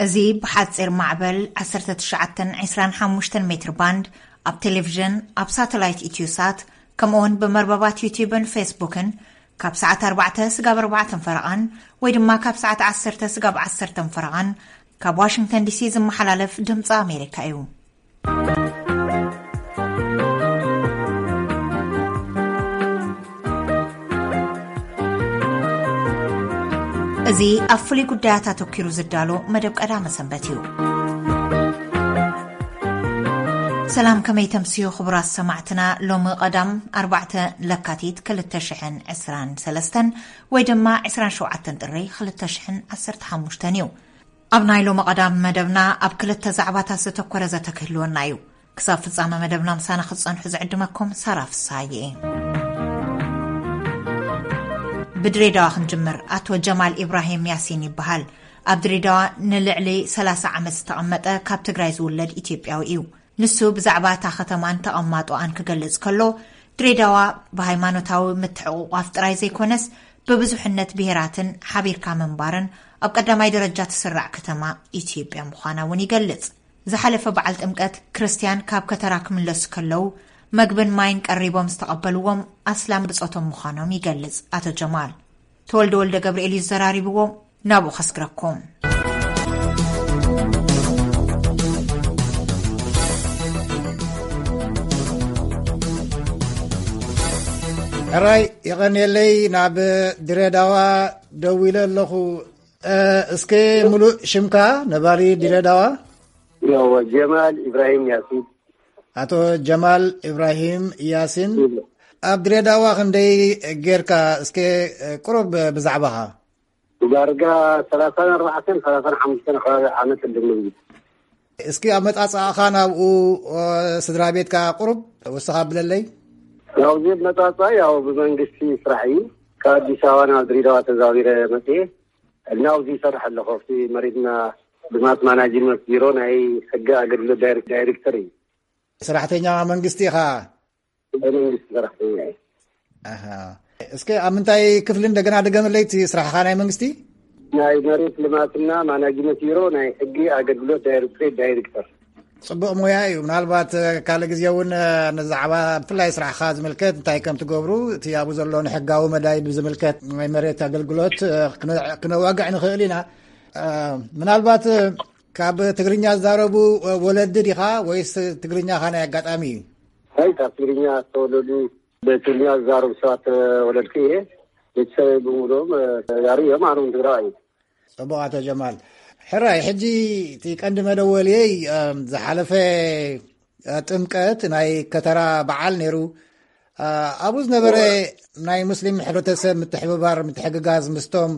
እዚ ብሓጺር ማዕበል ዓሰርተ ትሽዓተ ዕስራን ሓሙሽተን ሜትር ባንድ፣ ኣብ ቴሌቪዥን፣ ኣብ ሳተላይት ኢትዮሳት፣ ከምኡውን ብመርበባት ዩቲዩብን ፌስቡክን ካብ ሰዓት ኣርባዕተ ስጋብ ኣርባዕተን ፈረቓን ወይ ድማ ካብ ሰዓት ዓሰርተ ስጋብ ዓሰርተን ፈረቓን ካብ ዋሽንግተን ዲሲ ዝመሓላለፍ ድምፂ ኣሜሪካ እዩ። እዚ ኣብ ፍሉይ ጉዳያት ኣተኲሩ ዝዳሎ መደብ ቀዳመ ሰንበት እዩ። ሰላም፣ ከመይ ተምስዩ ክቡራት ሰማዕትና? ሎሚ ቀዳም ኣርባዕተ ለካቲት ክልተ ሽሕን ዕስራን ሰለስተን ወይ ድማ ዕስራን ሸውዓተን ጥሪ ክልተ ሽሕን ዓሰርተ ሓሙሽተን እዩ። ኣብ ናይ ሎሚ ቀዳም መደብና ኣብ ክልተ ዛዕባታት ዘተኮረ ዘተ ክህልወና እዩ። ክሳብ ፍጻመ መደብና ምሳና ክትጸንሑ ዝዕድመኩም ሳራ ፍሳዬ። ብድሬዳዋ ክንጅምር። ኣቶ ጀማል ኢብራሂም ያሲን ይበሃል። ኣብ ድሬዳዋ ንልዕሊ ሰላሳ ዓመት ዝተቐመጠ ካብ ትግራይ ዝውለድ ኢትዮጵያዊ እዩ። ንሱ ብዛዕባ እታ ከተማን ተቐማጦኣን ክገልጽ ከሎ፣ ድሬዳዋ ብሃይማኖታዊ ምትሕቑቋፍ ጥራይ ዘይኮነስ፣ ብብዙሕነት ብሄራትን ሓቢርካ ምንባርን ኣብ ቀዳማይ ደረጃ ትስራዕ ከተማ ኢትዮጵያ ምዃና እውን ይገልጽ። ዝሓለፈ በዓል ጥምቀት ክርስትያን ካብ ከተራ ክምለሱ ከለዉ፣ መግብን ማይን ቀሪቦም ዝተቐበልዎም ኣስላም ብጾቶም ምዃኖም ይገልጽ ኣቶ ጀማል። ተወልደ ወልደ ገብርኤል እዩ ዘራሪብዎም። ናብኡ ከስግረኩም። ሕራይ የቐንየለይ፣ ናብ ድሬዳዋ ደዊለ ኣለኹ። እ፣ እስከ ሙሉእ ሽምካ ነባሪ ድሬዳዋ? ያው ጀማል ኢብራሂም ያሲን። ኣቶ ጀማል ኢብራሂም ያሲን፣ ኣብ ድሬዳዋ ክንደይ ጌርካ? እስከ፣ እ፣ ቁሩብ ብዛዕባኻ። ዳርጋ ሰላሳን ኣርባዕተን፣ ሰላሳን ሓሙሽተን ከባቢ ዓመት እንድንብል። እስኪ ኣመጻጽኣኻ ናብኡ፣ እ፣ ስድራ ቤትካ ቁሩብ ወስኻ ብለለይ። ናብዚ መጻጻ ያው ብመንግስቲ ስራሕ እዩ። ካብ ኣዲስ ኣበባ ናብ ድሬዳዋ ተዛዊረ መጽኤ። ናብዚ ይሰርሕ ኣለኹ። ኣብቲ መሬትና ልማት ማናጅመንት ቢሮ ናይ ሕጊ ኣገልግሎት ዳይሬክ-፣ ዳይሬክተር እዩ። ሰራሕተኛ መንግስቲ ኢኻ? ናይ መንግስቲ ሰራሕተኛ እየ። ኣሃ። እስከ ኣብ ምንታይ ክፍሊ እንደገና ድገመለይ እቲ ስራሕኻ ናይ መንግስቲ? ናይ መሬት ልማትና ማናጅመንት ቢሮ ናይ ሕጊ ኣገልግሎት ዳይሬክቶሬት ዳይሬክተር። ጽቡቕ ሞያ እዩ። ምናልባት፣ እ፣ ካልእ ግዜ እውን፣ እ፣ ንዛዕባ ብፍላይ ስራሕኻ ዝምልከት እንታይ ከም ትገብሩ፣ እቲ ኣብኡ ዘሎ ንሕጋዊ መዳይ ብዝምልከት ናይ መሬት ኣገልግሎት፣ እ፣ ክነ-፣ ክነዋግዕ ንኽእል ኢና። እ፣ ምናልባት፣ እ፣ ካብ ትግርኛ ዝዛረቡ፣ እ፣ ወለዲ ዲኻ ወይስ ትግርኛኻ ናይ ኣጋጣሚ እዩ? ኣይ፣ ካብ ትግርኛ ዝተወለዱ፣ ብትግርኛ ዝዛረቡ ሰባት ተወለድኩ እየ። ቤተሰበይ ብምሉኦም፣ እ፣ ተጋሩ እዮም፣ ኣነ እውን ትግራዋይ እየ። ጽቡቕ ኣቶ ጀማል። ሕራይ፣ ሕጂ እቲ ቀንዲ መደወልየይ፣ እም፣ ዝሓለፈ፣ እ፣ ጥምቀት ናይ ከተራ በዓል ነይሩ። እ፣ ኣብኡ ዝነበረ ናይ ሙስሊም ሕብረተሰብ ምትሕብባር፣ ምትሕግጋዝ ምስቶም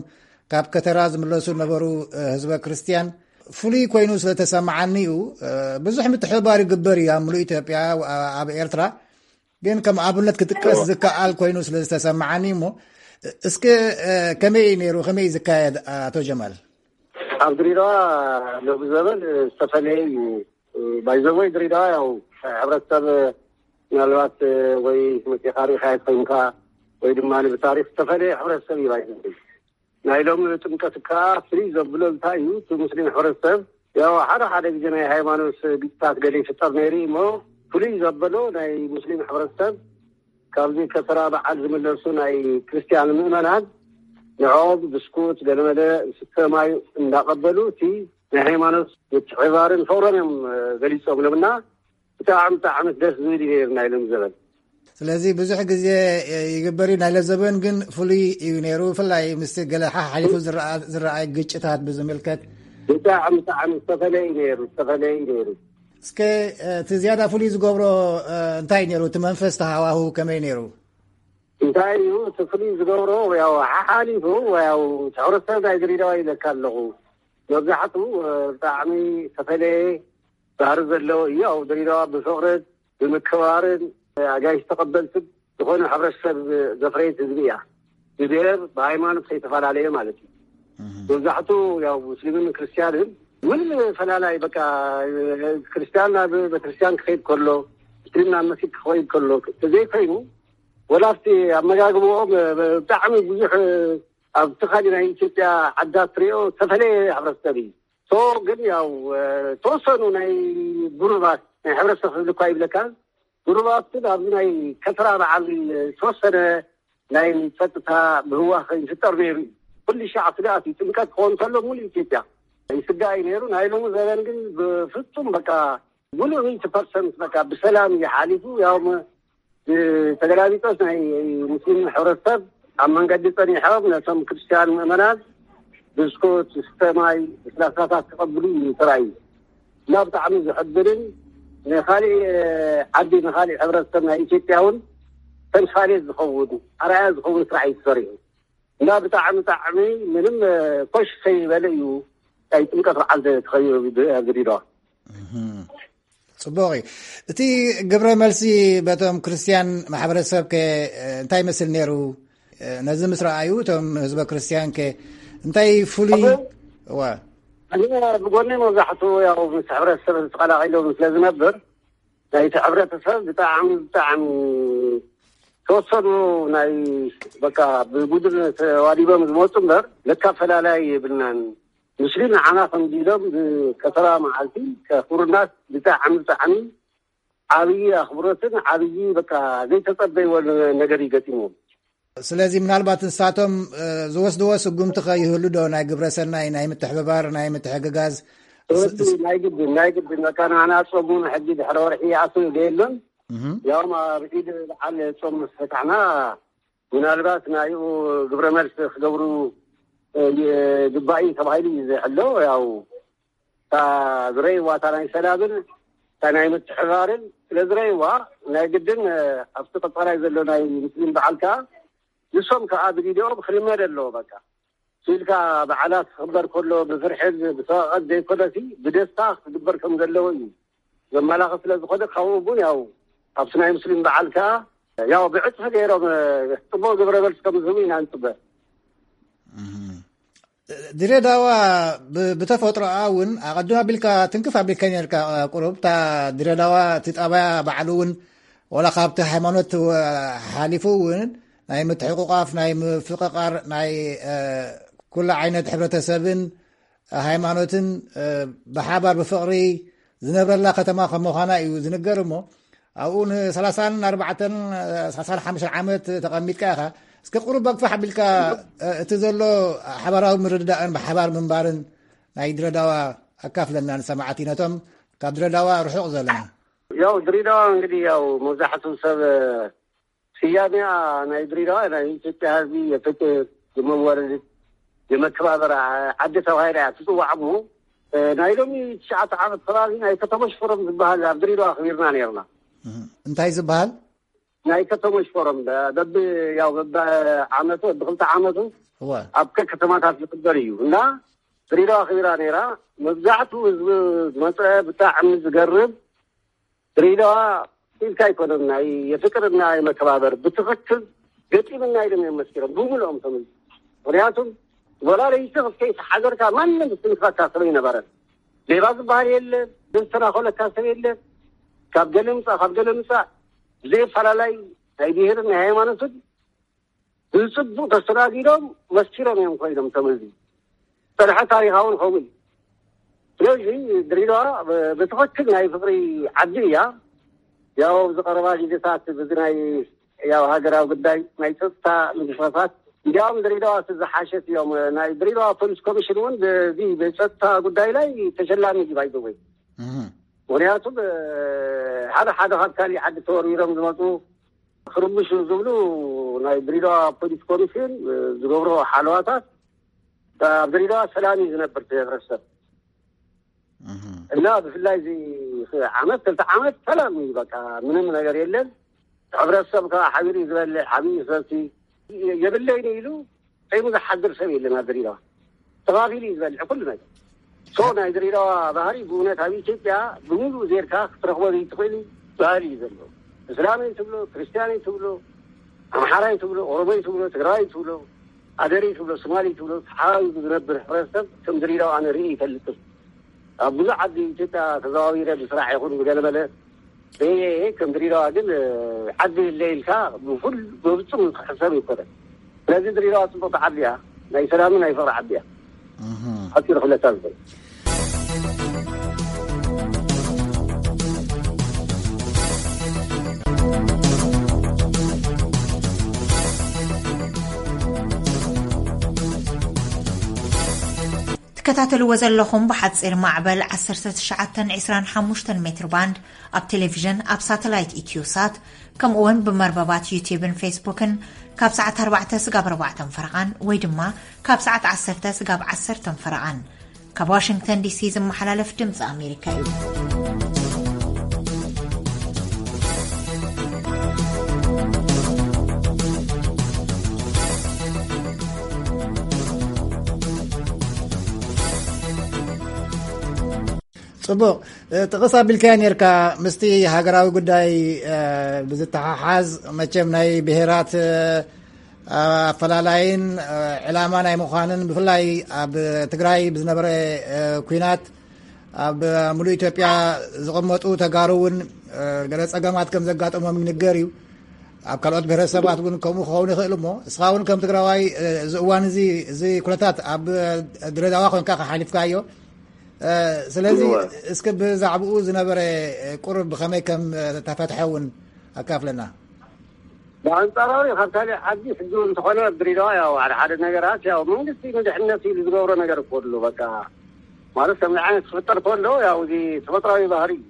ካብ ከተራ ዝምለሱ ነበሩ፣ እ፣ ህዝበ ክርስትያን ፍሉይ ኮይኑ ስለ ተሰማዓኒ እዩ። እ፣ ብዙሕ ምትሕብባር ይግበር እዩ ኣብ ምሉእ ኢትዮጵያ፣ እ፣ ኣብ ኤርትራ። ግን ከም ኣብነት ክጥቀስ ዝከኣል ኮይኑ ስለ ዝተሰማዓኒ እሞ፣ እስከ፣ እ፣ ከመይ እዩ ነይሩ? ከመይ እዩ ዝካየድ? ኣቶ ጀማል። ኣብ ድሬዳዋ ሎሚ ዘበን ዝተፈለየ እዩ። ባይዘወይ ድሬዳዋ ያው ሕብረተሰብ ምናልባት ወይ መፂኻ ሪኢኻዮ ኮይንካ ወይ ድማ ብታሪክ ዝተፈለየ ሕብረተሰብ እዩ ባይዘወይ። ናይ ሎሚ ጥምቀት ከዓ ፍልይ ዘብሎ እንታይ እዩ? እቲ ሙስሊም ሕብረተሰብ ያው ሓደ ሓደ ግዜ ናይ ሃይማኖት ግጭታት ገለ ይፍጠር ነይሩ እዩ እሞ ፍልይ ዘበሎ ናይ ሙስሊም ሕብረተሰብ ካብዚ ከተራ በዓል ዝምለሱ ናይ ክርስትያን ምእመናን ንዕኦም ብስኩት ገለመለ ዝስተ ማይ እንዳቐበሉ እቲ ናይ ሃይማኖት ምትሕብባርን ፍቕሮም እዮም ገሊፆምሎምና። ብጣዕሚ ብጣዕሚ ደስ ዝብል እዩ ነይሩ ናይ ሎም ዘበን። ስለዚ ብዙሕ ግዜ ይግበር እዩ፣ ናይ ሎም ዘበን ግን ፍሉይ እዩ ነይሩ። ብፍላይ ምስቲ ገለ ሓሓሊፉ ዝረኣ-፣ ዝረኣይ ግጭታት ብዝምልከት። ብጣዕሚ ብጣዕሚ ዝተፈለየ እዩ ነይሩ፣ ዝተፈለየ እዩ ነይሩ። እስከ እቲ ዝያዳ ፍሉይ ዝገብሮ እንታይ ነይሩ? እቲ መንፈስ ተሃዋሁ ከመይ ነይሩ? እንታይ እዩ እቲ ፍሉይ ዝገብሮ? ያው ሓሓሊፉ ያው ሕብረተሰብ ናይ ድሬዳዋ ኢለካ ኣለኹ። መብዛሕትኡ ብጣዕሚ ዝተፈለየ ባህሪ ዘለዎ እዩ። ኣብ ድሬዳዋ ብፍቕርን ብምክብባርን ኣጋይሽ ተቐበልትን ዝኾነ ሕብረተሰብ ዘፍረየት ህዝቢ እያ። ብብሔር ብሃይማኖት ከይተፈላለየ ማለት እዩ። መብዛሕቱ ያው ሙስሊምን ክርስትያንን ምን ፈላላይ በቃ ክርስትያን ናብ ቤተክርስትያን ክኸይድ ከሎ ሙስሊም ናብ መስጊድ ክኸይድ ከሎ ተዘይኮይኑ ወላ ኣብቲ ኣመጋግብኦም ብጣዕሚ ብዙሕ ኣብቲ ካሊእ ናይ ኢትዮጵያ ዓዳት ትሪኦ ዝተፈለየ ሕብረተሰብ እዩ። ሶ ግን ያው ተወሰኑ ናይ ጉሩባት ናይ ሕብረተሰብ ክብል እኳ ይብለካ፣ ጉሩባት ግን ኣብዚ ናይ ከተራ በዓል ዝተወሰነ ናይ ጸጥታ ምህዋኽ ይፍጠር ነይሩ እዩ። ኩሉ ሻዕ ስጋኣት እዩ። ጥምቀት ክኸውን ከሎ ሙሉ ኢትዮጵያ ይስጋእ እዩ ነይሩ። ናይ ሎሚ ዘበን ግን ብፍጹም በቃ ሙሉ ሚእቲ ፐርሰንት በቃ ብሰላም እዩ ሓሊፉ። ያው ተገላቢጦስ ናይ ሙስሊም ሕብረተሰብ ኣብ መንገዲ ጸኒሖም ነቶም ክርስትያን ምእመናት ብስኩት፣ ስተ ማይ፣ ለስላሳታት ክቐብሉ እዩ ተራእዩ። እና ብጣዕሚ ዝሕብርን ንኻሊእ ዓዲ ንኻሊእ ሕብረተሰብ ናይ ኢትዮጵያ እውን ተምሳሌት ዝኸውን ኣርኣያ ዝኸውን ስራሕ እዩ ተሰሪሑ። እና ብጣዕሚ ብጣዕሚ ምንም ኮሽ ከይበለ እዩ ናይ ጥምቀት በዓል ተኸቢሩ ድሬዳዋ። ጽቡቕ እዩ። እቲ ግብረ መልሲ በቶም ክርስትያን ማሕበረሰብ ከ እንታይ ይመስል ነይሩ? ነዚ ምስ ረኣዩ እቶም ህዝበ ክርስትያን ከ እንታይ ፍሉይ? እዋ ብጎኒ መብዛሕትኡ ያው ምስ ሕብረተሰብ ተቐላቒሎም ስለ ዝነብር ናይቲ ሕብረተሰብ ብጣዕሚ ብጣዕሚ ተወሰኑ ናይ በቃ ብጉድል ተዋዲቦም ዝመፁ እምበር ለካ ፈላላይ የብልናን። ሙስሊም ንዓና ከምዚ ኢሎም ብከተራ መዓልቲ ከኽብሩናስ ብጣዕሚ ብጣዕሚ ዓብዪ ኣኽብሮትን ዓብዪ በቃ ዘይተጸበይዎ ነገር እዩ ገጢምዎም። ስለዚ ምናልባት ንሳቶም ዝወስድዎ ስጉምቲ ከ ይህሉ ዶ? ናይ ግብረ ሰናይ፣ ናይ ምትሕብባር፣ ናይ ምትሕግጋዝ? ናይ ግድን ናይ ግድን በቃ ንዓና ጾም እውን ሕጂ ድሕሪ ወርሒ ይኣቱ የለን። ያውም ኣብ ዒድ በዓል ጾም ምስ ፈታሕና ምናልባት ናይኡ ግብረ መልሲ ክገብሩ ግባእ እዩ ተባሂሉ እዩ ዝሕሎ። ያው እታ ዝረእይዋ እታ ናይ ሰላምን እታ ናይ ምትሕባርን ስለ ዝረእይዋ ናይ ግድን ኣብቲ ቀፃላይ ዘሎ ናይ ሙስሊም በዓል ከዓ ንሶም ከዓ ብቪድዮ ክልመድ ኣለዎ። በቃ ኢልካ በዓላት ክኽበር ከሎ ብፍርሕን ብሰቐቐት ዘይኮነሲ ብደስታ ክግበር ከም ዘለዎ እዩ ዘመላኽት ስለ ዝኾነ ካብኡ እውን ያው ኣብቲ ናይ ሙስሊም በዓል ከዓ ያው ብዕፅፊ ገይሮም ፅቡቅ ግብረ መልሲ ከም ዝህቡ ኢና ንፅበ። ድሬዳዋ ብተፈጥሮኣ እውን ኣቐድም ኣቢልካ ትንክፍ ኣቢልካ ነርካ ቁሩብ እታ ድሬዳዋ እቲ ጣባያ ባዕሉ እውን ወላ ካብቲ ሃይማኖት ሓሊፉ እውን ናይ ምትሕቁቃፍ ናይ ምፍቅቃር ናይ ኩሉ ዓይነት ሕብረተሰብን ሃይማኖትን ብሓባር ብፍቅሪ ዝነብረላ ከተማ ከም ምዃና እዩ ዝንገር። እሞ ኣብኡ ንሰላሳን ኣርባዕተን ሰላሳን ሓሙሽተን ዓመት ተቐሚጥካ ኢኻ። እስከ ቁሩብ በግፋሕ ኣቢልካ እቲ ዘሎ ሓባራዊ ምርድዳእን ብሓባር ምንባርን ናይ ድሬዳዋ ኣካፍለና ንሰማዕቲ ነቶም ካብ ድሬዳዋ ርሑቕ ዘለና። ያው ድሬዳዋ እንግዲህ ያው መብዛሕትኡ ሰብ ስያሜኣ ናይ ድሬዳዋ ናይ ኢትዮጵያ ህዝቢ የፍቅር፣ የመወርድ፣ የመከባበር ዓዲ ተባሂላ እያ ትፅዋዕ። እሞ ናይ ሎሚ ትሽዓተ ዓመት ከባቢ ናይ ከተሞች ፎረም ዝበሃል ኣብ ድሬዳዋ ኣኽቢርና ነይርና። እንታይ ዝበሃል? ናይ ከተሞች ፎረም በቢ ያው በቢ ዓመቱ በቢ ክልተ ዓመቱ እወ። ኣብ ከከተማታት ዝኽበር እዩ እና ድሬዳዋ ኣኽቢራ ነይራ። መብዛሕትኡ ህዝቢ ዝመፀ ብጣዕሚ ዝገርም ድሬዳዋ ኢልካ ኣይኮነን ናይ የፍቅርና የመከባበር ብትኽክል ገጢምና ኢሎም እዮም መስኪሮም ብምልኦም ተመልሱ። ምክንያቱም ወላ ለይቲ ክትከይ ተሓዘርካ ማንም ዝትንክፈካ ሰብ ኣይነበረን። ሌባ ዝበሃል የለ፣ ዝተናኸለካ ሰብ የለ። ካብ ገለ ምፃእ ካብ ገለ ምፃእ ብዘየፈላላይ ናይ ብሄርን ናይ ሃይማኖትን ብፅቡቅ ተስተናጊዶም መስኪሮም እዮም ኮይኖም ተመዚ። ፀንሐ ታሪኻውን ኸውን። ስለዚ ድሬዳዋ ብትኽክል ናይ ፍቅሪ ዓዲ እያ። ያው ኣብዚ ቀረባ ግዜታት ብዚ ናይ ያው ሃገራዊ ጉዳይ ናይ ፀጥታ ምንቅስቃሳት እንዲያውም ድሬዳዋ እቲ ዝሓሸት እዮም። ናይ ድሬዳዋ ፖሊስ ኮሚሽን እውን በዚ በፀጥታ ጉዳይ ላይ ተሸላሚ እዩ ባይዘወይ። ምክንያቱም ሓደ ሓደ ካብ ካሊእ ዓዲ ተወርዊሮም ዝመፁ ክርምሹ ዝብሉ ናይ ድሬዳዋ ፖሊስ ኮሚሽን ዝገብሮ ሓለዋታት ኣብ ድሬዳዋ ሰላም እዩ ዝነብር እቲ ህብረተሰብ። እና ብፍላይ እዚ ዓመት ክልተ ዓመት ሰላም እዩ፣ በቃ ምንም ነገር የለን። ሕብረተሰብ ከዓ ሓቢሩ እዩ ዝበልዕ፣ ሓቢሩ እዩ ዝሰቲ። የብለይን ኢሉ ፂሙ ዝሓድር ሰብ የለን ኣብ ድሬዳዋ። ተኻፊሉ እዩ ዝበልዕ ኩሉ ነገር። ሶ ናይ ድሬዳዋ ባህሪ ብእውነት ኣብ ኢትዮጵያ ብምሉእ ዜርካ ክትረኽቦ ዘይትኽእል ባህሪ እዩ ዘሎ። እስላመይ ትብሎ፣ ክርስትያነይ ትብሎ፣ ኣምሓራይ ትብሎ፣ ኦሮሞይ ትብሎ፣ ትግራዋይ ትብሎ፣ ኣደረይ ትብሎ፣ ሶማሊ ትብሎ፣ ተሓባቢሩ ዝነብር ሕብረተሰብ ከም ድሬዳዋ ኣነ ርእየ ይፈልጥን። ኣብ ብዙሕ ዓዲ ኢትዮጵያ ተዘዋዊረ ብስራሕ ይኹን ብገለመለ ርእየ ከም ድሬዳዋ ግን ዓዲ የለ ኢልካ ብፍል በብጹም ክሕሰብ ይኮነ። ስለዚ ድሬዳዋ ጽቡቅ ዓዲ እያ፣ ናይ ሰላምን ናይ ፍቅሪ ዓዲ እያ። ሓፂር ክለታ ዝብል ትከታተልዎ ዘለኹም ብሓፂር ማዕበል ዓሰርተ ትሽዓተ ዕስራን ሓሙሽተን ሜትር ባንድ ኣብ ቴሌቪዥን፣ ኣብ ሳተላይት ኢትዮሳት፣ ከምኡ እውን ብመርበባት ዩቲዩብን ፌስቡክን ካብ ሰዓት ኣርባዕተ ስጋብ ኣርባዕተን ፈረቓን ወይ ድማ ካብ ሰዓት ዓሰርተ ስጋብ ዓሰርተን ፈረቓን ካብ ዋሽንግተን ዲሲ ዝመሓላለፍ ድምፂ ኣሜሪካ እዩ። ጽቡቕ። ጥቕስ ኣቢልካዮ ነርካ፣ ምስቲ ሃገራዊ ጉዳይ ብዝተሓሓዝ፣ መቸም ናይ ብሄራት ኣፈላላይን ዕላማ ናይ ምዃንን፣ ብፍላይ ኣብ ትግራይ ብዝነበረ ኲናት ኣብ ሙሉእ ኢትዮጵያ ዝቕመጡ ተጋሩ እውን ገለ ጸገማት ከም ዘጋጠሞም ይንገር እዩ። ኣብ ካልኦት ብሄረሰባት እውን ከምኡ ክኸውን ይኽእል እሞ፣ እስኻ እውን ከም ትግራዋይ እዚ እዋን እዚ፣ እዚ ኩነታት ኣብ ድሬዳዋ ኮንካ ከሓሊፍካዮ። ስለዚ እስኪ ብዛዕባኡ ዝነበረ ቁርብ ብኸመይ ከም ተፈትሐ እውን ኣካፍለና። ብኣንጻራዊ ካብ ካልእ ዓዲ ሕጂ እውን እንተኾነ ኣብ ድሬዳዋ ያው ሓደ ሓደ ነገራት ያው መንግስቲ ንድሕነት ኢሉ ዝገብሮ ነገር እኮ ኣሎ። በቃ ማለት ከምዚ ዓይነት ክፍጠር ከሎ ያው እዚ ተፈጥራዊ ባህሪ እዩ።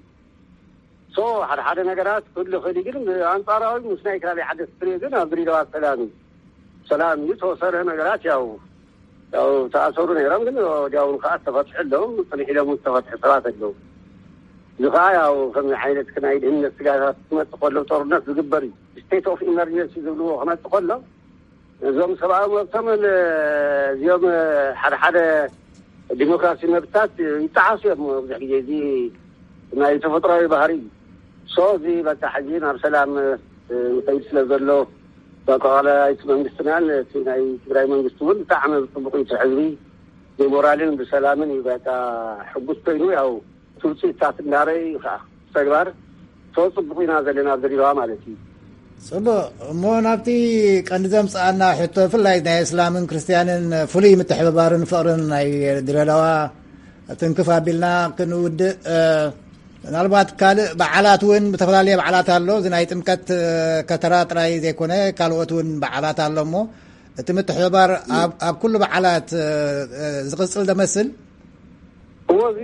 ሶ ሓደ ሓደ ነገራት ክህሉ ይኽእል እዩ፣ ግን ብኣንጻራዊ ምስ ናይ ካልእ ዓዲ ክትሪኦ ግን ኣብ ድሬዳዋ ሰላም እዩ። ሰላም እዩ። ዝተወሰነ ነገራት ያው ያው ተኣሰሩ ነይሮም፣ ግን ወዲያውን ከዓ ተፈትሑ ኣለዎም። ጽንሕ ኢሎም ዝተፈትሑ ሰባት ኣለዉ። እዚ ከዓ ያው ከምዚ ዓይነት ናይ ድህነት ስጋታት ክመጽእ ከሎ፣ ጦርነት ዝግበር እዩ፣ ስቴት ኦፍ ኢመርጀንሲ ዝብልዎ ክመጽእ ከሎ፣ እዞም ሰብኣዊ መብቶም እዚኦም ሓደ ሓደ ዲሞክራሲ መብታት ይጠዓሱ እዮም። ብዙሕ ግዜ እዚ ናይ ተፈጥሯዊ ባህሪ እዩ። ሶ እዚ በቃ ሕጂ ናብ ሰላም ይኸይድ ስለ ዘሎ፣ በቃ ዋላ እቲ መንግስትናን እቲ ናይ ትግራይ መንግስቲ እውን ብጣዕሚ ብፅቡቅ እዩ። እቲ ህዝቢ ብሞራልን ብሰላምን እዩ በቃ ሕጉስ ኮይኑ፣ ያው እቲ ውፅኢታት እንዳረዩ እዩ ከዓ ተግባር። ሶ ፅቡቅ ኢና ዘለና ኣብ ድሬዳዋ ማለት እዩ። ጽቡቕ። እሞ ናብቲ ቀንዲ ዘምጽኣና ሕቶ፣ ብፍላይ ናይ እስላምን ክርስትያንን ፍሉይ ምትሕብባርን ፍቕርን ናይ ድሬዳዋ ትንክፍ ኣቢልና ክንውድእ፣ እ፣ ምናልባት ካልእ በዓላት እውን፣ ዝተፈላለየ በዓላት ኣሎ። እዚ ናይ ጥምቀት፣ እ፣ ከተራ ጥራይ ዘይኮነ፣ ካልኦት እውን በዓላት ኣሎ። እሞ እቲ ምትሕብባር ኣብ፣ ኣብ ኩሉ በዓላት፣ እ፣ እ፣ ዝቕጽል ደመስል? እዎ፣ እዚ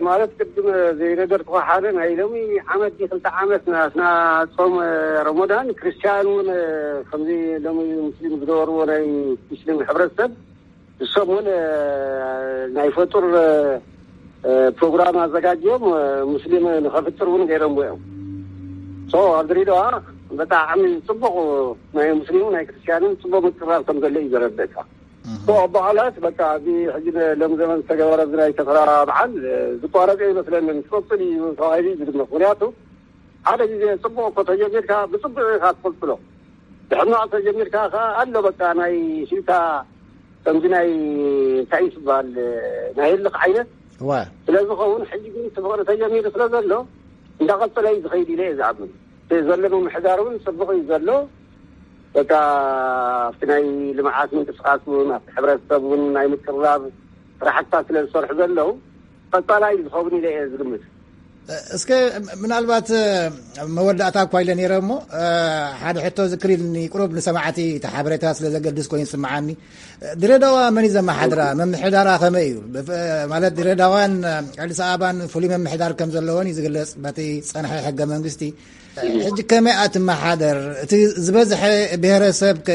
ማለት ቅድም ዘይነገርኩኻ ሓደ ናይ ሎሚ ዓመት ድዩ ክልተ ዓመት ናትና ጾም ረመዳን፣ ክርስትያን እውን ከምዚ ሎሚ ሙስሊም ዝገበርዎ ናይ ሙስሊም ሕብረተሰብ፣ ንሶም እውን ናይ ፈጡር ፕሮግራም ኣዘጋጅዮም፣ ሙስሊም ንኸፍጥር እውን ገይሮምዎ እዮም። ሶ ኣብ ድሬዳዋ ብጣዕሚ ጽቡቕ ናይ ሙስሊምን ናይ ክርስትያንን ጽቡቕ ምቅርራብ ከም ዘሎ እዩ ዘረድእካ። እህ። ሶ በዓላት በቃ እዚ ሕጂ ሎሚ ዘመን ዝተገበረ እዚ ናይ ከተራ በዓል ዝቋረጸ ይመስለንን፣ ክቕጽል እዩ ተባሂሉ እዩ ዝግመት። ምኽንያቱ ሓደ ግዜ ጽቡቕ እኮ ተጀሚርካ ብጽቡቕ ኢኻ ትቕጽሎ። ብሕማቕ ተጀሚርካ ከኣ ኣሎ በቃ ናይ ሽታ ከምዚ ናይ እንታይ እዩ ዝበሃል ናይ ህልኽ ዓይነት እዋ። ስለ ዝኸውን ሕጂ ግን እቲ ፍቕሪ ተጀሚሩ ስለ ዘሎ እንዳቐጸለ እዩ ዝኸይድ ኢለ እየ ዝኣምን። እቲ ዘሎ ምምሕዳር እውን ጽቡቕ እዩ ዘሎ። በቃ ኣብቲ ናይ ልምዓት ምንቅስቃስ እውን ኣብቲ ሕብረተሰብ እውን ናይ ምቅርራብ ስራሕትታት ስለ ዝሰርሑ ዘለዉ ቀጻላይ እዩ ዝኸውን ኢለ እየ ዝግምት። እስከ ምናልባት መወዳእታ እኳ ኢለ ነይረ እሞ ሓደ ሕቶ ዝክር ኢልኒ፣ ቁሩብ ንሰማዕቲ እቲ ሓበሬታ ስለ ዘገድስ ኮይኑ ይስምዓኒ። ድሬዳዋ መን እዩ ዘመሓድራ? መምሕዳራ ከመይ እዩ? ብፍ-፣ ማለት ድሬዳዋን ኣዲስ ኣበባን ፍሉይ መምሕዳር ከም ዘለወን እዩ ዝግለጽ በቲ ጸንሐ ሕገ መንግስቲ። ሕጂ ከመይ እያ ትመሓደር? እቲ ዝበዝሐ ብሄረሰብ ከ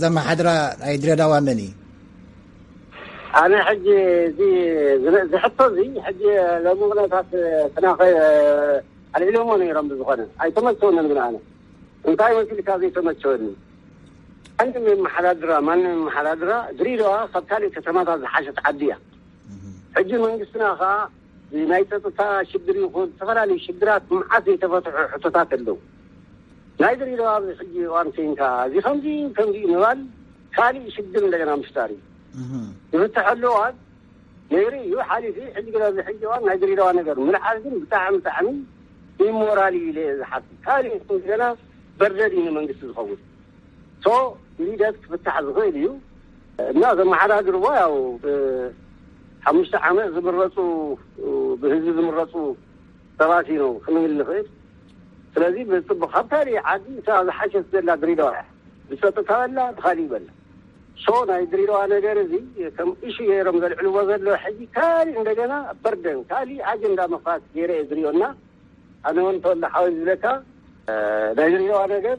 ዘመሓድራ ናይ ድሬዳዋ መን እዩ? ኣነ ሕጂ እዚ ዝነ-፣ እዚ ሕቶ እዚ ሕጂ ሎሚ ኩነታት ተናኸ ኣልዒሎሞ ነይሮም፣ ብዝኾነ ኣይተመቸወንን። ግን ኣነ እንታይ መሲልካ ዘይተመቸወኒ? ማንም የመሓዳድራ፣ ማንም የመሓዳድራ፣ ድሬዳዋ ካብ ካልእ ከተማታት ዝሓሸት ዓዲ እያ። ሕጂ መንግስትና ኸኣ ናይ ጸጥታ ሽግር ይኹን ዝተፈላለዩ ሽግራት መዓት ዘይተፈትሑ ሕቶታት ኣለዉ። ናይ ድሬዳዋ ኣብዚ ሕጂ እዋን ኮይንካ እዚ ከምዚ ከምዚ ምባል ካልእ ሽግር እንደገና ምፍጣር እዩ። እህ። ዝፍትሐሉ እዋን ነይሩ እዩ፣ ሓሊፉ። ሕጂ ግን ኣብዚ ሕጂ እዋን ናይ ድሬዳዋ ነገር ምልዓል ግን ብጣዕሚ፣ ብጣዕሚ ኢሞራል እዩ ኢለ እየ ዝሓስብ። ካልእ እንደገና በርደን እዩ ንመንግስቲ ዝኸውን። ሶ ብሂደት ክፍታሕ ዝኽእል እዩ እና ዘመሓዳድርዎ ያው ብ-፣ ሓሙሽተ ዓመት ዝምረፁ፣ ብህዝቢ ዝምረፁ ሰባት ኢና ክንብል ንኽእል። ስለዚ ብፅቡቅ ካብ ካሊእ ዓዲ እታ ዝሓሸት ዘላ ድሬዳዋ እያ። ብፀጥታ በላ ብካሊእ በላ። ሶ ናይ ድሬዳዋ ነገር እዚ ከም ኢሹ ገይሮም ዘልዕልዎ ዘሎ ሕጂ ካሊእ እንደገና በርደን ካሊእ ኣጀንዳ ምኽፋት ገይረ እየ ዝሪኦ። እና ኣነ እውን ተወልደ ሓወይ ዝብለካ፣ ናይ ድሬዳዋ ነገር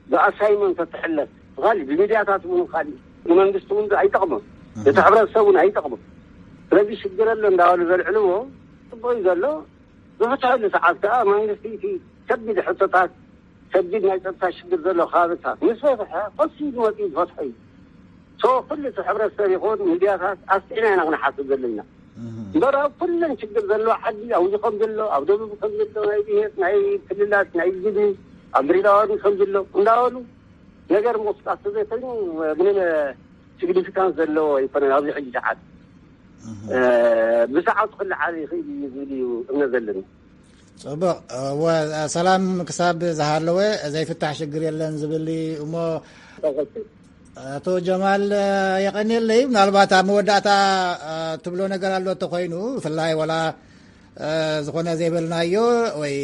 ብኣሳይመንት ተትሕለፍ ብካሊእ ብሚድያታት እውን ካሊእ ንመንግስቲ እውን ኣይጠቕሞን፣ እቲ ሕብረተሰብ እውን ኣይጠቕሞን። ስለዚ ሽግር ኣሎ እንዳበሉ ዘልዕልዎ ፅቡቅ እዩ ዘሎ። ዝፍትሐሉ ሰዓት ከዓ መንግስቲ እቲ ከቢድ ሕቶታት፣ ከቢድ ናይ ፀጥታ ሽግር ዘሎ ከባብታት ምስ ፈትሐ፣ ቀስ ኢሉ መፂኡ ዝፈትሖ እዩ። ሶ ኩሉ እቲ ሕብረተሰብ ይኹን ሚድያታት ኣስጢዕና ኢና ክንሓስብ ዘለና። እምበር ኣብ ኩለን ሽግር ዘለዎ ዓዲ ኣብዚ ከም ዘሎ፣ ኣብ ደቡብ ከም ዘሎ፣ ናይ ብሄር፣ ናይ ክልላት፣ ናይ ግዲ ኣብ ድሬዳዋ እውን ከም ዘሎ እንዳበሉ ነገር ምቕስቃስ ተዘይኮይኑ ምንም ሲግኒፊካንስ ዘለዎ ኣይኮነን ኣብዚ ሕጂ ሰዓት። ብሰዓቱ ክለዓል ይኽእል እዩ ዝብል እዩ እምነት ዘለኒ። ፅቡቕ። እወ፣ ሰላም ክሳብ ዝሃለወ ዘይፍታሕ ሽግር የለን ዝብል እዩ እሞ። ኣቶ ጀማል፣ የቐንየለይ። ምናልባት ኣብ መወዳእታ ትብሎ ነገር ኣሎ እንተኾይኑ፣ ብፍላይ ወላ ዝኾነ ዘይበልናዮ ወይ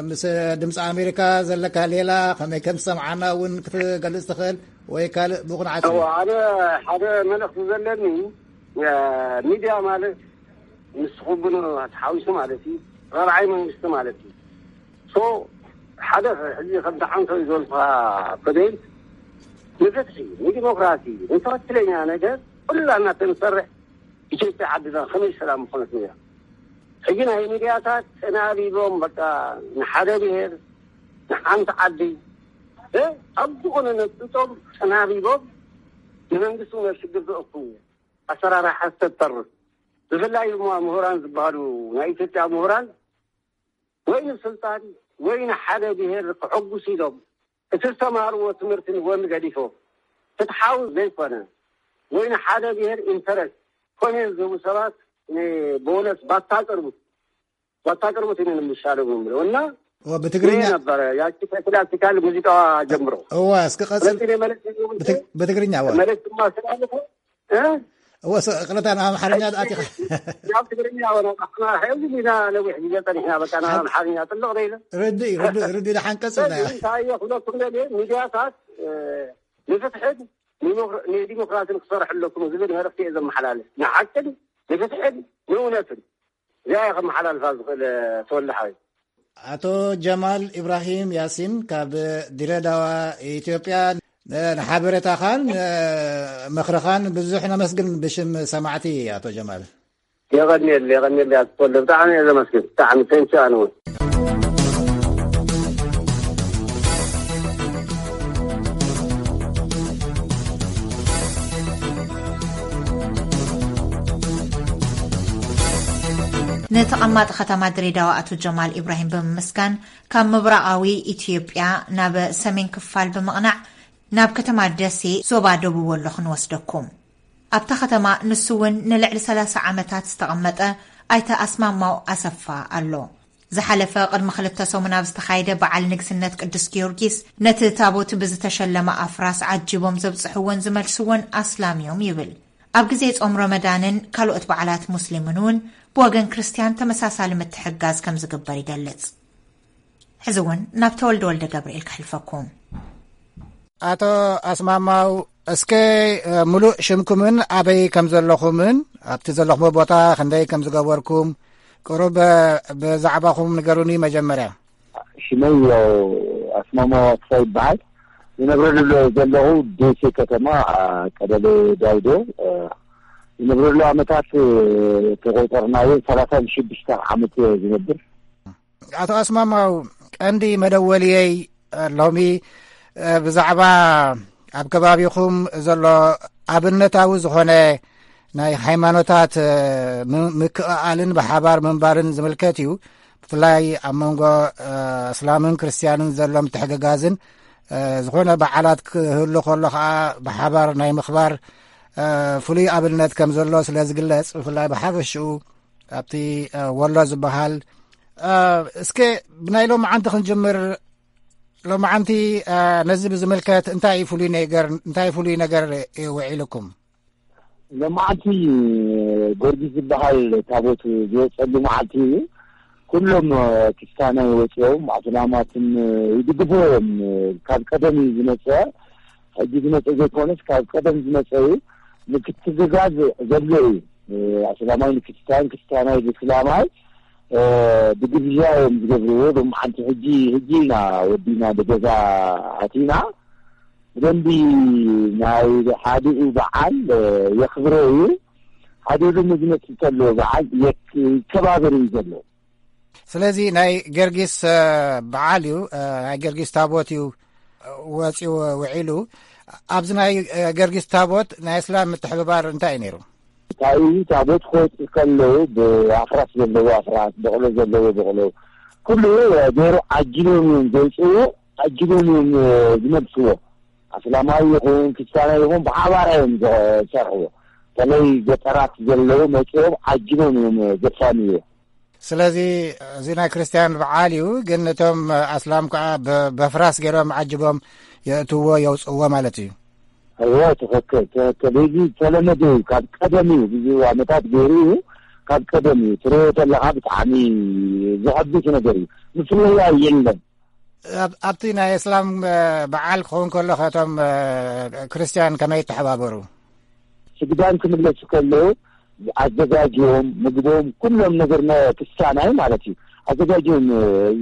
ምስ ድምፂ ኣሜሪካ ዘለካ ሌላ ከመይ ከም ዝሰምዓና እውን ክትገልፅ ትኽእል ወይ ካልእ ብቑንዓት እዩ። ኣነ ሓደ መልእኽቲ ዘለኒ ሚድያ ማለት ምስ ትኽብኑ ተሓዊሱ ማለት እዩ። ራብዓይ መንግስቲ ማለት እዩ። ሶ ሓደ ሕዚ ከም ተዓንቶ እዩ ዘልፋ ኮደይል ንፍትሒ፣ ንዲሞክራሲ፣ ንትኽክለኛ ነገር ኩላና ተንሰርሕ ኢትዮጵያ ዓድና ከመይ ሰላም ምኾነት ነይራ። ሕጂ ናይ ሚድያታት ተናቢቦም በቃ ንሓደ ብሄር ንሓንቲ ዓዲ ኣብ ዝኾነ ነጥጦም ተናቢቦም ንመንግስቲ ናብ ሽግር ዘእክቡ ኣሰራርሓ ዝተርፍ። ብፍላይ ድማ ምሁራን ዝበሃሉ ናይ ኢትዮጵያ ምሁራን ወይ ንስልጣን ወይ ንሓደ ብሄር ክሕጉስ ኢሎም እቲ ዝተማሃርዎ ትምህርቲ ንጎኒ ገዲፎም ፍትሓዊ ዘይኮነ ወይ ንሓደ ብሄር ኢንተረስት ኮሜንት ዝህቡ ሰባት ብእውነት ባታ ቅርቡት ባታ ቅርቡት ኢና ንምሻሎም ምብሎ እና ብትግርኛ ነበረ ያቺ ክላሲካል ሙዚቃዋ ጀምሮ እዋ እስኪ ቀጽል። ብትግርኛ እዋ መልእክት ማስተላለፈ እወ ቅረታ ናብ ኣምሓርኛ ኣቲኻ ናብ ትግርኛ ወና ሕዚ ኢና ነዊሕ ግዜ ፀኒሕና በቃ ናብ ኣምሓርኛ ጥልቕ ደይለ ርድእ ርድእ ርድእ ደሓን ቀጽልና እንታይ ክብለኩም ደልየ ሚድያታት ንፍትሕን ንዲሞክራሲን ክሰርሕ ኣለኩም ዝብል መልእክቲ እየ ዘመሓላልፍ ንሓቅን ንፍትሕን ንእውነትን እዚኣ እየ ከመሓላልፋ ዝኽእል ተወልደ ሓወይ። ኣቶ ጀማል ኢብራሂም ያሲን ካብ ድሬዳዋ ኢትዮጵያ፣ ንሓበሬታኻን ምኽርኻን ብዙሕ ነመስግን ብሽም ሰማዕቲ ኣቶ ጀማል። የቐንየል የቐንየል ኣቶ ተወልደ ብጣዕሚ እየ ዘመስግን ብጣዕሚ ቴንኪ ኣነ እውን። ንተቐማጢ ከተማ ድሬዳዋ ኣቶ ጀማል ኢብራሂም ብምምስጋን፣ ካብ ምብራቓዊ ኢትዮጵያ ናብ ሰሜን ክፋል ብምቕናዕ ናብ ከተማ ደሴ ዞባ ደቡብ ወሎ ክንወስደኩም። ኣብታ ከተማ ንሱ እውን ንልዕሊ ሰላሳ ዓመታት ዝተቐመጠ ኣይተ ኣስማማው ኣሰፋ ኣሎ። ዝሓለፈ ቅድሚ ክልተ ሰሙን ኣብ ዝተኻየደ በዓል ንግስነት ቅዱስ ጊዮርጊስ ነቲ ታቦት ብዝተሸለመ ኣፍራስ ዓጂቦም ዘብጽሕዎን ዝመልስዎን ኣስላም እዮም ይብል። ኣብ ግዜ ጾም ረመዳንን ካልኦት በዓላት ሙስሊምን እውን ብወገን ክርስትያን ተመሳሳሊ ምትሕጋዝ ከም ዝግበር ይገልጽ። ሕዚ እውን ናብ ተወልደ ወልደ ገብርኤል ከሕልፈኩም። ኣቶ ኣስማማው፣ እስከ ሙሉእ ሽምኩምን ኣበይ ከም ዘለኹምን ኣብቲ ዘለኹሞ ቦታ ክንደይ ከም ዝገበርኩም ቅሩብ ብዛዕባኹም ንገሩኒ። መጀመርያ ሽመይ ያው ኣስማማው ኣስፋ ይበሃል። ዝነብረሉ ዘለኹ ደሴ ከተማ ቀበሌ ዳውዶ። ዝነብረሉ ዓመታት ተቆጠርናዮ ሰላሳ ሽዱሽተ ዓመት ዝነብር። ኣቶ ኣስማማው፣ ቀንዲ መደወልየይ ሎሚ ብዛዕባ ኣብ ከባቢኹም ዘሎ ኣብነታዊ ዝኾነ ናይ ሃይማኖታት ምክእኣልን ብሓባር ምንባርን ዝምልከት እዩ። ብፍላይ ኣብ መንጎ እስላምን ክርስትያንን ዘሎ ምትሕግጋዝን፣ ዝኾነ በዓላት ክህሉ ከሎ ከዓ ብሓባር ናይ ምኽባር ፍሉይ ኣብነት ከም ዘሎ ስለ ዝግለጽ፣ ብፍላይ ብሓፈሽኡ ኣብቲ ወሎ ዝበሃል፣ እስከ ብናይ ሎማዓንቲ ክንጅምር። ሎማዓንቲ ነዚ ብዝምልከት እንታይ ፍሉይ ነገር እንታይ ፍሉይ ነገር ውዒልኩም? ሎማዓንቲ ጊዮርጊስ ዝበሃል ታቦት ዝወፀሉ መዓልቲ እዩ። ኩሎም ክስታናይ ወፂኦም ኣስላማትን ይድግፍዎ እዮም። ካብ ቀደም እዩ ዝመፀ፣ ሕጂ ዝመፀ ዘይኮነስ ካብ ቀደም ዝመፀ እዩ። ምክትግጋዝ ዘሎ እዩ። ኣስላማይ ንክስታን፣ ክስታናይ ንስላማይ ብግብዣ እዮም ዝገብርዎ። ሎማዓንቲ ሕጂ ሕጂ ኢና ወዲና ብገዛ ኣቲና ብደንቢ ናይ ሓዲኡ በዓል የኽብሮ እዩ። ሓዲኡ ድማ ዝመፅእ ዘሎ በዓል የክ- ይከባበር እዩ ዘሎ። ስለዚ ናይ ገርጊስ በዓል እዩ፣ ናይ ገርጊስ ታቦት እዩ ወፂኡ ውዒሉ። ኣብዚ ናይ ገርጊስ ታቦት ናይ እስላም ምትሕብባር እንታይ እዩ ነይሩ? እንታይ እዩ? ታቦት ክወፅእ ከለዉ ብኣፍራስ ዘለዎ ኣፍራስ፣ በቕሎ ዘለዎ በቕሎ፣ ኩሉ ገይሩ ዓጂቦም እዮም ዘውፅእዎ፣ ዓጂቦም እዮም ዝመልስዎ። ኣስላማዊ ይኹን ክርስቲያናዊ ይኹን ብሓባር እዮም ዝሰርሕዎ። በተለይ ገጠራት ዘለዉ መፅኦም ዓጂቦም እዮም ዘፋንይዎ። ስለዚ እዚ ናይ ክርስቲያን በዓል እዩ፣ ግን እቶም ኣስላም ከዓ በፍራስ ገይሮም ዓጅቦም የእትዎ የውፅእዎ ማለት እዩ። እወ፣ ትኽክል፣ ትኽክል። እዚ ዝተለመደ እዩ፣ ካብ ቀደም እዩ፣ ብዙ ዓመታት ገይሩ እዩ፣ ካብ ቀደም እዩ። ትሪኦ ተለኻ ብጣዕሚ ዘሐጉስ ነገር እዩ። ምፍለያ የለን። ኣብቲ ናይ እስላም በዓል ክኸውን ከሎ ከቶም ክርስቲያን ከመይ ይተሓባበሩ? ስግዳን ክምለሱ ከለዉ ኣዘጋጅዮም ምግቦም፣ ኩሎም ነገር ናይ ክርስቲያናይ ማለት እዩ፣ ኣዘጋጅዮም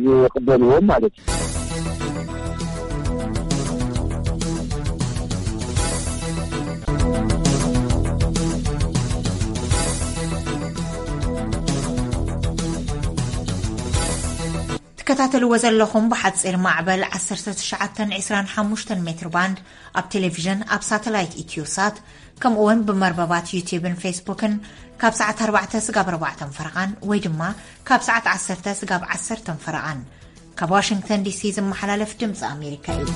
ይቕበልዎም ማለት እዩ። ትከታተልዎ ዘለኹም ብሓፂር ማዕበል ዓሰርተ ትሽዓተ ዕስራን ሓሙሽተን ሜትር ባንድ ኣብ ቴሌቪዥን ኣብ ሳተላይት ኢትዮሳት ከምኡ እውን ብመርበባት ዩቲብን ፌስቡክን ካብ ሰዓት ኣርባዕተ ስጋብ ኣርባዕተን ፈረቓን ወይ ድማ ካብ ሰዓት ዓሰርተ ስጋብ ዓሰርተን ፈረቓን ካብ ዋሽንግተን ዲሲ ዝመሓላለፍ ድምፂ ኣሜሪካ እዩ።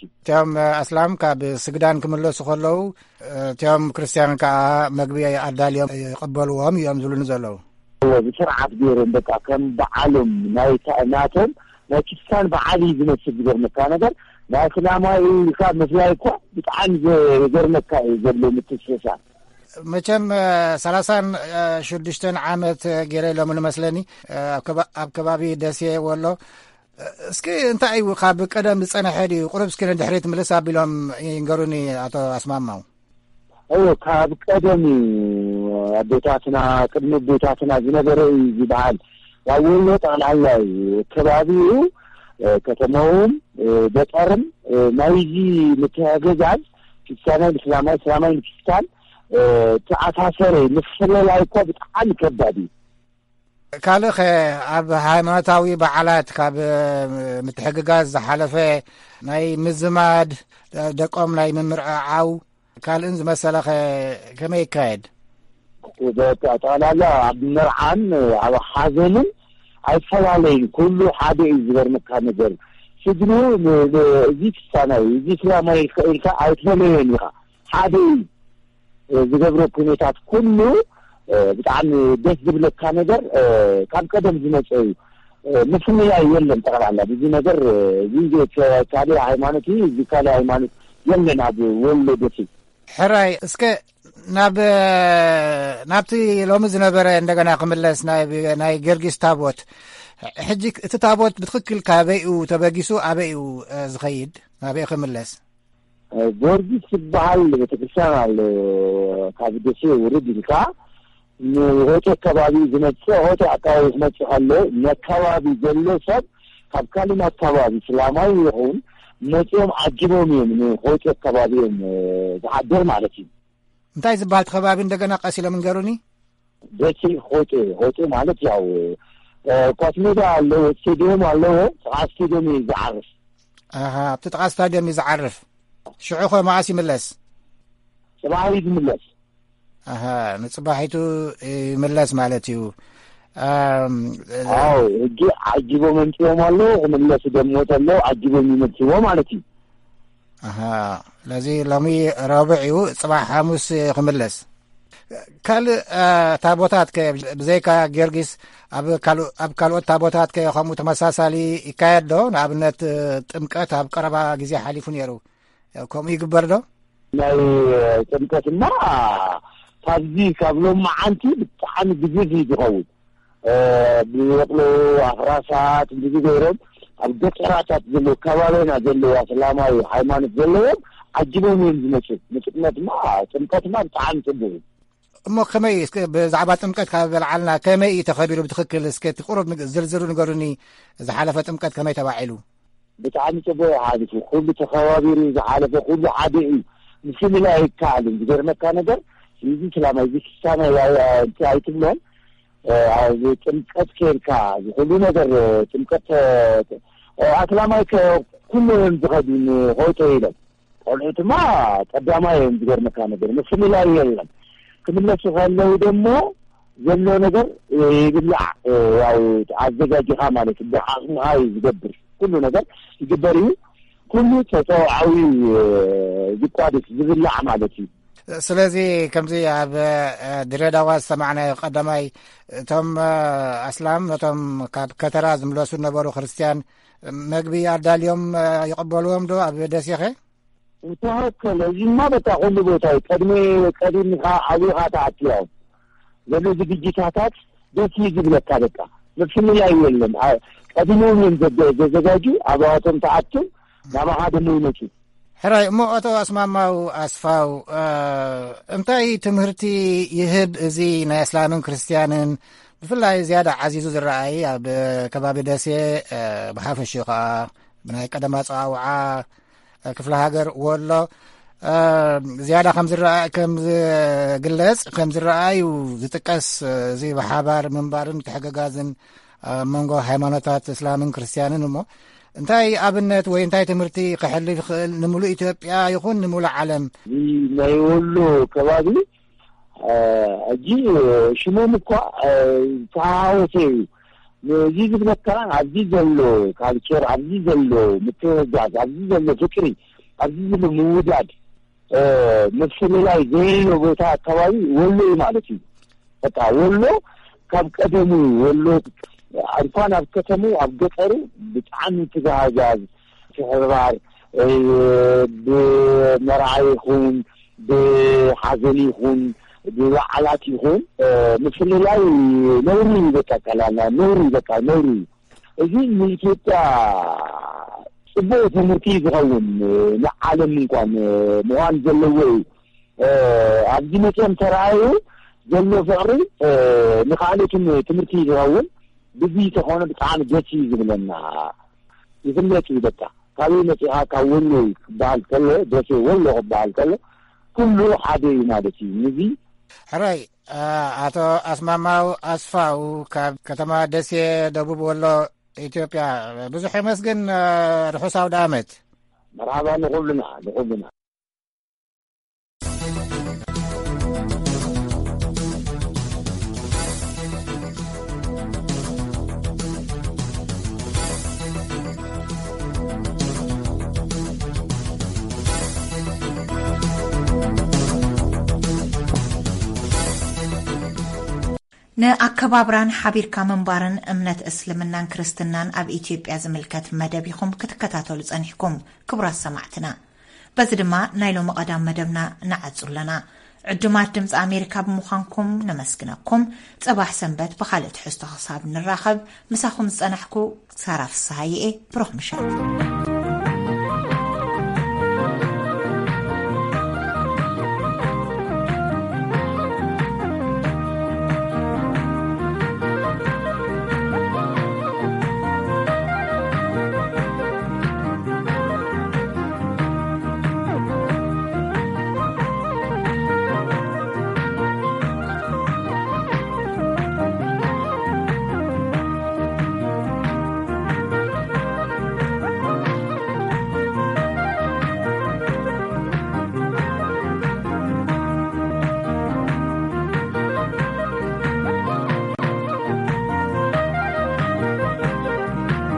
እቲኦም ኣስላም ካብ ስግዳን ክምለሱ ከለዉ እቲኦም ክርስትያን ከዓ መግቢ ኣዳልዮም ይቐበልዎም እዮም ዝብሉኒ ዘለዉ። ብስርዓት ገይሮም በቃ ከም በዓሎም ናይ ናቶም ናይ ክርስትያን በዓል እዩ ዝመስል። ዝገርመካ ነገር ናይ እስላማዊ ኢልካ ምፍላይ እኳ ብጣዕሚ ዘገርመካ እዩ ዘሎ ምትስሳር። መቸም ሰላሳን ሽዱሽተን ዓመት ገይረ ኢሎም ንመስለኒ ኣብ ከባቢ ደሴ ወሎ። እስኪ እንታይ እዩ ካብ ቀደም ዝፀነሐ ድዩ? ቁሩብ እስኪ ንድሕሪት ምልስ ኣቢሎም ይንገሩኒ ኣቶ ኣስማማው። እዎ፣ ካብ ቀደም እዩ። ኣቦታትና ቅድሚ ኣቦታትና ዝነበረ እዩ ዝበሃል። ኣብ ወሎ ጠቕላላ እዩ ከባቢኡ፣ ከተማውን ገጠርን ናይዚ ምትሕግጋዝ፣ ክርስቲያናይ ንእስላማይ፣ እስላማይ ንክርስቲያን ተኣሳሰረ። ምፍልላይ እኳ ብጣዕሚ ከባድ እዩ። ካልእ ኸ ኣብ ሃይማኖታዊ በዓላት ካብ ምትሕግጋዝ ዝሓለፈ ናይ ምዝማድ ደቆም ናይ ምምርዕዓው ካልእን ዝመሰለ ኸ ከመይ ይካየድ? ጠቕላላ ኣብ መርዓን ኣብ ሓዘንን ኣይፈላለይን፣ ኩሉ ሓደ እዩ። ዝገርመካ ነገር ስድሩ እዚ ክስታናይ እዚ እስላማይ ኢልካ ኣይትፈለዮን ኢኻ፣ ሓደ እዩ። ዝገብሮ ኩነታት ኩሉ ብጣዕሚ ደስ ዝብለካ ነገር ካብ ቀደም ዝመፀ እዩ። ምፍንያይ የለን። ጠቕላላ እዚ ነገር እዚ ካልእ ሃይማኖት እዩ፣ እዚ ካልእ ሃይማኖት የለን ኣብ ወሎ ደሴ። ሕራይ እስከ ናብ ናብቲ ሎሚ ዝነበረ እንደገና ክምለስ ናይ ገርጊስ ታቦት። ሕጂ እቲ ታቦት ብትኽክል ካበይኡ ተበጊሱ ኣበይኡ ዝኸይድ ናበይ ክምለስ? ጊዮርጊስ ዝበሃል ቤተክርስትያን ኣሎ። ካብ ደሴ ውርድ ኢልካ ንሆጤ ከባቢ ዝመፅእ፣ ሆጤ ኣካባቢ ክመፅእ ከሎ ነከባቢ ዘሎ ሰብ ካብ ካልእ ኣካባቢ ስላማዊ ይኹን መፂኦም ዓጅቦም እዮም ንሆጤ ከባቢ እዮም ዝሓድር ማለት እዩ። እንታይ ዝበሃል ከባቢ እንደገና ቀስ ኢሎም እንገሩኒ? ደሴ ሆጤ፣ ሆጤ ማለት ያው ኳስ ሜዳ ኣለዎ፣ ስቴዲየም ኣለዎ። ጥቓ ስቴዲየም እዩ ዝዓርፍ። ኣሃ፣ ኣብቲ ጥቓ ስታዲየም እዩ ዝዓርፍ። ሽዑ ኸ መዓስ ይምለስ? ጽባሕ እዩ ዝምለስ። ኣሃ፣ ንጽባሒቱ ይምለስ ማለት እዩ። ኣዎ፣ ሕጂ ዓጂቦም ኣምጺኦም ኣለዉ፣ ክምለሱ ደሞ ተሎ ዓጂቦም ይመልስዎ ማለት እዩ። ኣሃ፣ ስለዚ ሎሚ ረቡዕ እዩ፣ ጽባሕ ሓሙስ ክምለስ። ካልእ፣ እ፣ ታቦታት ከ ብዘይካ ጊዮርጊስ ኣብ ካልእ፣ ኣብ ካልኦት ታቦታት ከ ከምኡ ተመሳሳሊ ይካየድ ዶ? ንኣብነት፣ እ፣ ጥምቀት ኣብ ቀረባ ግዜ ሓሊፉ ነይሩ። ከምኡ ይግበር ዶ? ናይ ጥምቀትማ ካብዚ ካብ ሎማዓንቲ ብጣዕሚ ግዙፍ እዩ ዝኸውን። እ፣ ብበቕሎ ኣፍራሳት እንደዚ ገይሮም ኣብ ገጠራታት ዘለዉ ከባቢና ዘለዉ ኣስላማዊ ሃይማኖት ዘለዎም ዓጅቦም እዮም ዝመፁ። ንጥምቀትማ፣ ጥምቀትማ ብጣዕሚ ፅቡቅ እዩ። እሞ ከመይ እዩ? እስከ ብዛዕባ ጥምቀት ካብ በልዓልና ከመይ እዩ ተኸቢሩ ብትኽክል? እስከ እቲ ቁሩብ ንግ-፣ ዝርዝሩ ንገሩኒ። ዝሓለፈ ጥምቀት ከመይ ተባዒሉ? ብጣዕሚ ጽቡቅ እዩ ሓሊፉ። ኩሉ ተኸባቢሩ ዝሓለፈ ኩሉ ሓደ እዩ። ምፍልላይ ኣይከኣልን። ዝገርመካ ነገር፣ እዚ ስላማይ፣ እዚ ክስታናይ ኣይ-፣ ኣይ-፣ እንታይ ኣይትብሎን። እ፣ ኣብ ጥምቀት ኬድካ፣ እዚ ኩሉ ነገር፣ እ፣ ጥምቀት፣ እ፣ እ፣ ኣስላማይ ከ-፣ ኩሉ እዮም ዝኸዱ ንሆይቶ ኢሎም። ቆልዑ ድማ ቀዳማይ እዮም። ዝገርመካ ነገር፣ ምፍልላይ የለን። ክምለሱ ከለዉ ደሞ ዘሎ ነገር ይብላዕ፣ ያው ኣዘጋጅኻ ማለት እዩ። ብዓቕምኻ እዩ ዝገብር፣ ኩሉ ነገር ይግበር እዩ። ኩሉ ተፀዋዓዊ ዝቋደስ ዝብላዕ ማለት እዩ። ስለዚ ከምዚ ኣብ፣ እ፣ ድሬዳዋ ዝሰማዕናዮ ቀዳማይ፣ እቶም፣ እ፣ ኣስላም ነቶም ካብ ከተራ ዝምለሱ ዝነበሩ ክርስትያን መግቢ ኣዳልዮም፣ እ፣ ይቕበልዎም ዶ ኣብ ደሴኸ? ዝተኸከለ እዚማ በቃ ኩሉ ቦታ እዩ። ቀድሜ ቀዲምካ ኣብኻ ትኣቱ ያው ዘሎ ዝግጅታታት ደስ እዩ ዝብለካ። በቃ ምፍልላይ የለን። አ-፣ ቀዲሞም እዮም ዘዘ-፣ ዘዘጋጁ። ኣብኣቶም ትኣቱ፣ ናባኻ ደሞ ይመፁ። ሕራይ እሞ፣ ኣቶ ኣስማማው ኣስፋው፣ እ፣ እንታይ ትምህርቲ ይህብ እዚ ናይ እስላምን ክርስትያንን? ብፍላይ ዝያዳ ዓዚዙ ዝረኣይ ኣብ ከባቢ ደሴ፣ እ፣ ብሓፈሽኡ ኸዓ ብናይ ቀደም ኣጸዋውዓ ክፍለ ሃገር ወሎ፣ እ፣ ዝያዳ ከም ዝረኣ-፣ ከም ዝግለጽ፣ ከም ዝረኣዩ ዝጥቀስ፣ እዚ ብሓባር ምንባርን ምትሕግጋዝን ኣብ መንጎ ሃይማኖታት እስላምን ክርስትያንን እሞ፣ እንታይ ኣብነት ወይ እንታይ ትምህርቲ ክሕልፍ ይኽእል ንምሉእ ኢትዮጵያ ይኹን ንምሉእ ዓለም? እዚ ናይ ወሎ ከባቢ፣ እ፣ ሕጂ ሽሞም እኳ፣ እ፣ ዝተሓዋወሰ እዩ። ነዚ ዝብለካ ኣብዚ ዘሎ ካልቸር፣ ኣብዚ ዘሎ ምትሕግጋዝ፣ ኣብዚ ዘሎ ፍቅሪ፣ ኣብዚ ዘሎ ምውዳድ፣ እ፣ ምፍልላይ ዘየሎ ቦታ ኣካባቢ ወሎ እዩ ማለት እዩ። በቃ ወሎ ካብ ቀደሙ ወሎ እንኳን ኣብ ከተሙ ኣብ ገጠሩ ብጣዕሚ ትጋሃዛዝ ትሕብባር፣ እ፣ ብመርዓ ይኹን ብሓዘን ይኹን ብበዓላት ይኹን፣ እ፣ ምፍልላይ ነውሪ እዩ። በቃ ቀላልና ነውሪ እዩ። በቃ ነውሪ እዩ። እዚ ንኢትዮጵያ ጽቡቕ ትምህርቲ እዩ ዝኸውን፣ ንዓለም እንኳን ምዃን ዘለዎ እዩ። እ፣ ኣብዚ መፅኦም ተረኣዩ ዘሎ ፍቕሪ፣ እ፣ ንኻልኦትን ትምህርቲ እዩ ዝኸውን። ብዚ ተኾነ ብጣዕሚ ደስ እዩ ዝብለና። ይፍለጥ እዩ በቃ። ካበይ መፂኻ? ካብ ወሎ እዩ ክበሃል ከሎ፣ ደሴ ወሎ ክበሃል ከሎ፣ ኩሉ ሓደ እዩ ማለት እዩ። ንዚ ሕራይ፣ እ፣ ኣቶ ኣስማማው ኣስፋው ካብ ከተማ ደሴ ደቡብ ወሎ ኢትዮጵያ፣ ብዙሕ የመስግን። ርሑስ ኣውደ ዓመት። መርሓባ ንኹልና፣ ንኹልና። ንኣከባብራን ሓቢርካ ምንባርን እምነት እስልምናን ክርስትናን ኣብ ኢትዮጵያ ዝምልከት መደብ ኢኹም ክትከታተሉ ጸኒሕኩም፣ ክቡራት ሰማዕትና። በዚ ድማ ናይ ሎሚ ቀዳም መደብና ንዓጹ ኣለና። ዕዱማት ድምፂ ኣሜሪካ ብምዃንኩም ነመስግነኩም። ጽባሕ ሰንበት ብኻልእ ትሕዝቶ ክሳብ ንራኸብ፣ ምሳኹም ዝጸናሕኩ ሳራ ፍስሃየ እየ። ብሩኽ ምሸት።